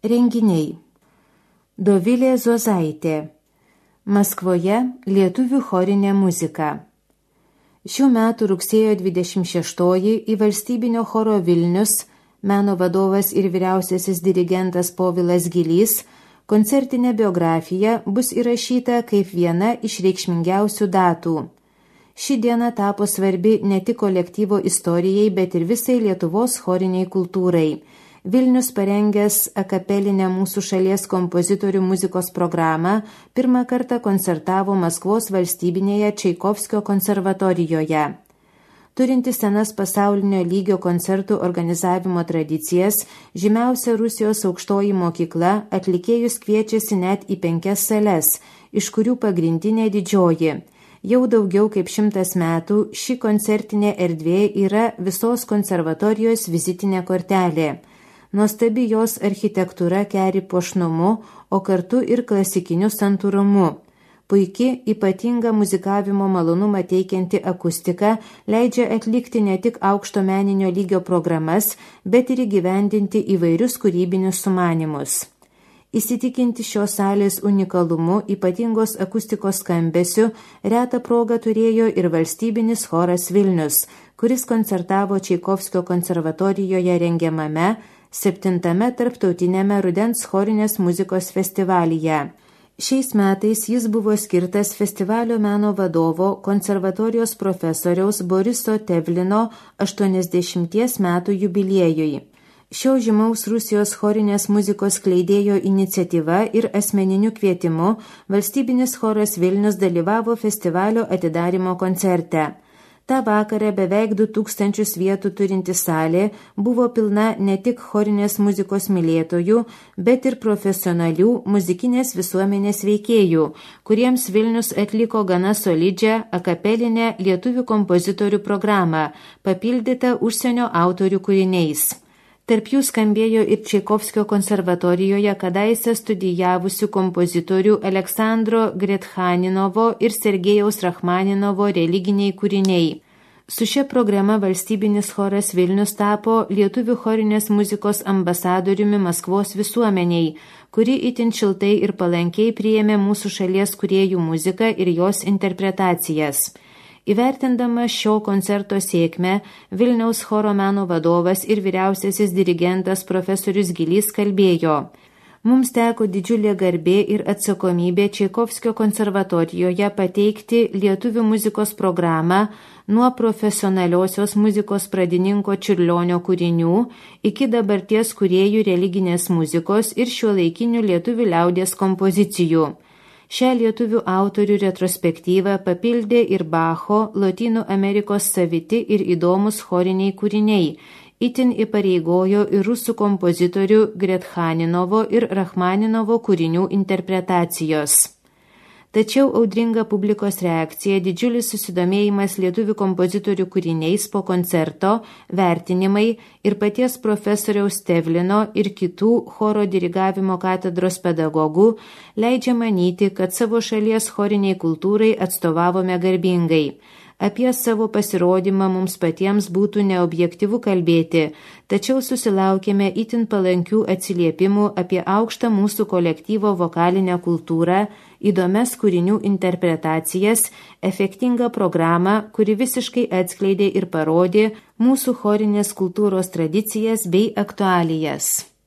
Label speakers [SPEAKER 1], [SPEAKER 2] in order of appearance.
[SPEAKER 1] Renginiai. Dovilė Zuozaitė. Maskvoje lietuvių chorinė muzika. Šių metų rugsėjo 26 į valstybinio choro Vilnius meno vadovas ir vyriausiasis dirigentas Povilas Gilys koncertinė biografija bus įrašyta kaip viena iš reikšmingiausių datų. Ši diena tapo svarbi ne tik kolektyvo istorijai, bet ir visai Lietuvos choriniai kultūrai. Vilnius parengęs akapelinę mūsų šalies kompozitorių muzikos programą pirmą kartą koncertavo Maskvos valstybinėje Čaikovskio konservatorijoje. Turinti senas pasaulinio lygio koncertų organizavimo tradicijas, žymiausia Rusijos aukštoji mokykla atlikėjus kviečiasi net į 5 sales, iš kurių pagrindinė Didžioji. Jau daugiau kaip 100 metų ši koncertinė erdvė yra visos konservatorijos vizitinė kortelė. Nuostabi jos architektūra keri puošnumu, o kartu ir klasikiniu santūrumu. Puiki, ypatinga muzikavimo malonumą teikianti akustika leidžia atlikti ne tik aukšto meninio lygio programas, bet ir įgyvendinti įvairius kūrybinius sumanymus. Įsitikinti šios salės unikalumu, ypatingos akustikos skambesiu, retą progą turėjo ir valstybinis choras Vilnius, kuris koncertavo Čaikovskio konservatorijoje rengiamame 7. tarptautiniame rudens chorinės muzikos festivalyje. Šiais metais jis buvo skirtas festivalio meno vadovo, konservatorijos profesoriaus Boriso Tevlino 80 metų jubiliejui. Šio žymaus Rusijos chorinės muzikos skleidėjo iniciatyva ir asmeniniu kvietimu valstybinis choras Vilnius dalyvavo festivalio atidarymo koncerte. Ta vakarą beveik 2000 vietų turinti salė buvo pilna ne tik chorinės muzikos mylėtojų, bet ir profesionalių muzikinės visuomenės veikėjų, kuriems Vilnius atliko gana solidžią akapelinę lietuvių kompozitorių programą, papildytą užsienio autorių kūriniais. Tarp jų skambėjo ir Čaikovskio konservatorijoje kadaise studijavusių kompozitorių Aleksandro Gretchaninovo ir Sergejaus Rachmaninovo religiniai kūriniai. Su šia programa valstybinis choras Vilnius tapo lietuvių chorinės muzikos ambasadoriumi Maskvos visuomeniai, kuri itin šiltai ir palankiai priėmė mūsų šalies kūrėjų muziką ir jos interpretacijas. Įvertindama šio koncerto sėkmę, Vilniaus choro meno vadovas ir vyriausiasis dirigentas profesorius Gilys kalbėjo: Mums teko didžiulė garbė ir atsakomybė Čaikovskio konservatorijoje pateikti lietuvių muzikos programą nuo profesionaliosios muzikos pradininko Čiurlionio kūrinių iki dabarties kūrėjų religinės muzikos ir šiuolaikinių lietuvių liaudies kompozicijų. Šią lietuvių autorių retrospektyvą papildė ir Bacho, Lotynų Amerikos saviti ir įdomus choriniai kūriniai, itin įpareigojo ir rusų kompozitorių Gretchaninovo ir Rachmaninovo kūrinių interpretacijos. Tačiau audringa publikos reakcija, didžiulis susidomėjimas lietuvių kompozitorių kūriniais po koncerto, vertinimai ir paties profesoriaus Tevlino ir kitų choro dirigavimo katedros pedagogų leidžia manyti, kad savo šalies choriniai kultūrai atstovavome garbingai. Apie savo pasirodymą mums patiems būtų neobjektyvu kalbėti, tačiau susilaukėme itin palankių atsiliepimų apie aukštą mūsų kolektyvo vokalinę kultūrą, įdomias kūrinių interpretacijas, efektingą programą, kuri visiškai atskleidė ir parodė mūsų chorinės kultūros tradicijas bei aktualijas.